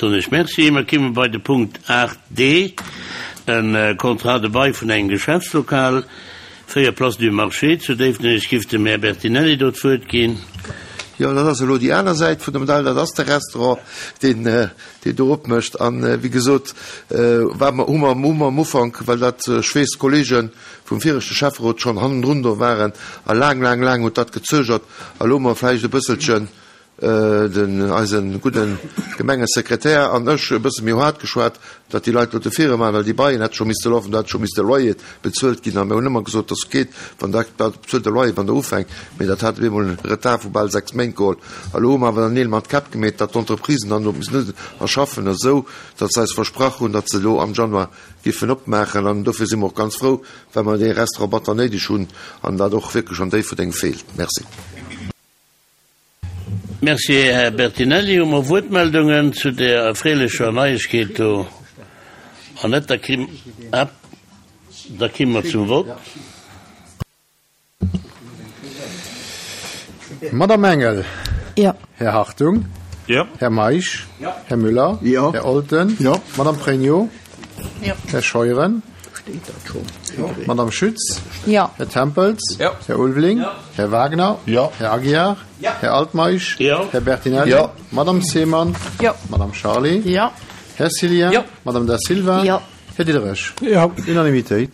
soen ech Merci. Mer kimme bei de Punkt 8 d, e Contrat de bail vun engem Geschäftslokal, 4 Place du Marché zu Déifferdeng. Ech giff dem Här Bertinelli do d'Wuert ginn. Jo, dat ass elo déi aner Säit vun der Medail, dat ass de Restaurant, deen, deen do opmécht. An, wéi gesot, war mer, hu mer, hu mer am Ufank, well dat, ech weess, d'Kollege vum viregte Schäfferot schonn hannendrun do waren a laang, laang, laang huet dat gezögert. A elo hu mer vläicht e bësselchen, den eise gudde Gemengesekretär an ech e bësse méi haart geschwat, datt déi Leit elo d'Efforte maachen, well déi Baien hätte scho misste lafen, do hätt scho misste Loyer bezuelt ginn. A mir hunn ëmmer gesot, dass geet, wann Der bezuelt de Loyer, wann Der ufänkt. Mee dat hat op eemol e Retard vu bal 6 Méint geholl. A elo hu mer awer dann Neel mat Käpp gemeet, datt d'Entreprisen dann elo missen erschaffen, esou datt se eis versprach hunn, datt se elo am Januar giffen opmaachen. An dofir si mer och ganz frou, well mer dee Restaurant batter néideg hunn an dat och wierklech an Déifferdeng feelt. Merci. Merci, Här Bertinelli. Hu mer Wuertmeldungen zu där erfreelecher Neiegkeet do? An net, da ki, da ki mer zum Vott. Madamm Engel. Jo. Här Hartung. Jo. Här Meisch. Jo. Här Müller. Jo. Här Olten. Jo. Madamm Pregno. Jo. Här Scheuren. Madamm Schütz. Jo. Här Tempels. Jo. Här Ulveling. Jo. Här Wagner. Jo. Här Aguiar. Jo. Här Altmeisch. Jo. Här Bertinelli. Jo. Madamm Seemann. Jo. Madamm Charlé. Jo. Här Cillien. Jo. Madamm Da Silva. Jo. Här Diderich. Jo. Unanimitéit.